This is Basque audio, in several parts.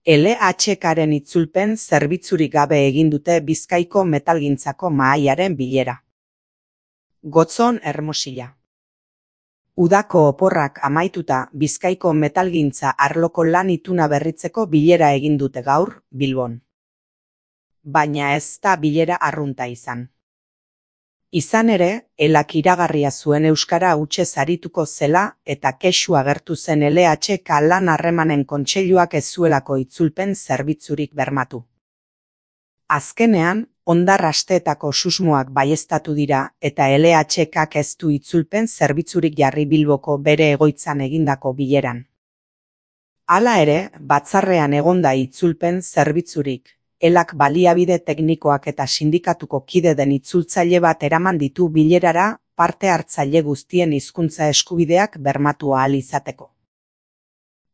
LHKaren itzulpen zerbitzurik gabe egin dute Bizkaiko metalgintzako mahaiaren bilera. Gotzon Hermosilla. Udako oporrak amaituta Bizkaiko metalgintza arloko lan ituna berritzeko bilera egin dute gaur, Bilbon. Baina ez da bilera arrunta izan. Izan ere, elak iragarria zuen euskara hutsez arituko zela eta kexu agertu zen LHK lan harremanen kontseiluak ez zuelako itzulpen zerbitzurik bermatu. Azkenean, hondar asteetako susmoak baieztatu dira eta LHKak ez du itzulpen zerbitzurik jarri Bilboko bere egoitzan egindako bileran. Hala ere, batzarrean egonda itzulpen zerbitzurik. Elak baliabide teknikoak eta sindikatuko kide den itzultzaile bat eraman ditu bilerara parte hartzaile guztien hizkuntza eskubideak bermatu ahal izateko.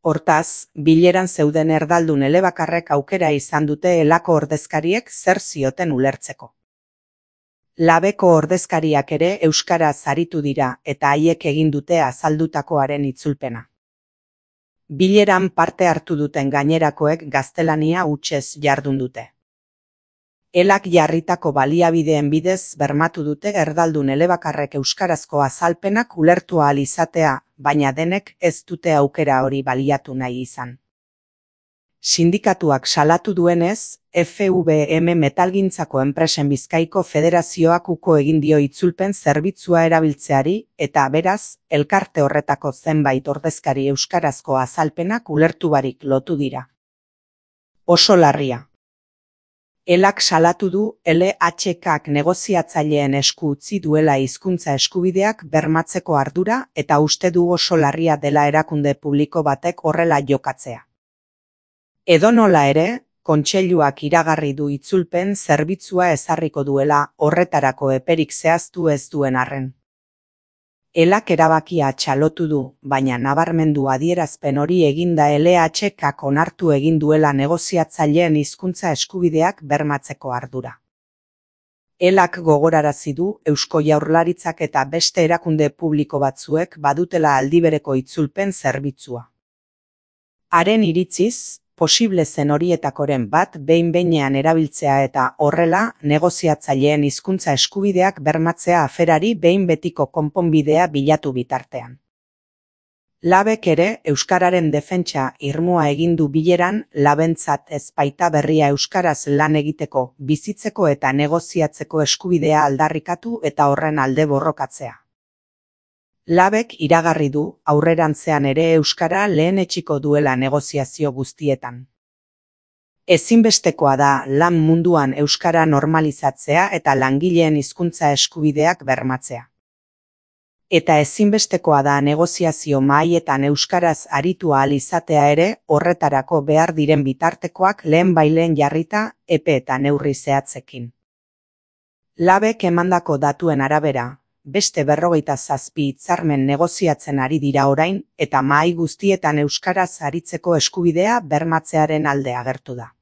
Hortaz, bileran zeuden erdaldun elebakarrek aukera izan dute elako ordezkariek zer zioten ulertzeko. Labeko ordezkariak ere euskaraz aritu dira eta haiek egin dute azaldutakoaren itzulpena. Bileran parte hartu duten gainerakoek gaztelania hutsez jardun dute. Elak jarritako baliabideen bidez bermatu dute erdaldun elebakarrek euskarazko azalpenak ulertu ahal izatea, baina denek ez dute aukera hori baliatu nahi izan. Sindikatuak salatu duenez, FVM Metalgintzako Enpresen Bizkaiko Federazioak uko egin dio itzulpen zerbitzua erabiltzeari eta beraz, elkarte horretako zenbait ordezkari euskarazko azalpenak ulertu barik lotu dira. Oso larria. Elak salatu du LHKak negoziatzaileen esku utzi duela hizkuntza eskubideak bermatzeko ardura eta uste du oso larria dela erakunde publiko batek horrela jokatzea. Edonola ere, kontseiluak iragarri du itzulpen zerbitzua ezarriko duela horretarako eperik zehaztu ez duen arren. Elak erabakia txalotu du, baina nabarmendu adierazpen hori eginda LHKak onartu egin duela negoziatzaileen hizkuntza eskubideak bermatzeko ardura. Elak gogorarazi du Eusko Jaurlaritzak eta beste erakunde publiko batzuek badutela aldibereko itzulpen zerbitzua. Haren iritziz, posible zen horietakoren bat behin-behinean erabiltzea eta horrela negoziatzaileen hizkuntza eskubideak bermatzea aferari behin betiko konponbidea bilatu bitartean. Labek ere euskararen defentsa irmoa egin du bileran labentzat ez baita berria euskaraz lan egiteko, bizitzeko eta negoziatzeko eskubidea aldarrikatu eta horren alde borrokatzea. Labek iragarri du aurrerantzean ere euskara lehenetsiko duela negoziazio guztietan. Ezinbestekoa da lan munduan euskara normalizatzea eta langileen hizkuntza eskubideak bermatzea. Eta ezinbestekoa da negoziazio mahaietan euskaraz aritu ahal izatea ere horretarako behar diren bitartekoak lehenbailehen jarrita epe eta neurri zehatzekin. Labek emandako datuen arabera, beste 47 hitzarmen negoziatzen ari dira orain eta mahai guztietan euskaraz aritzeko eskubidea bermatzearen alde agertu da.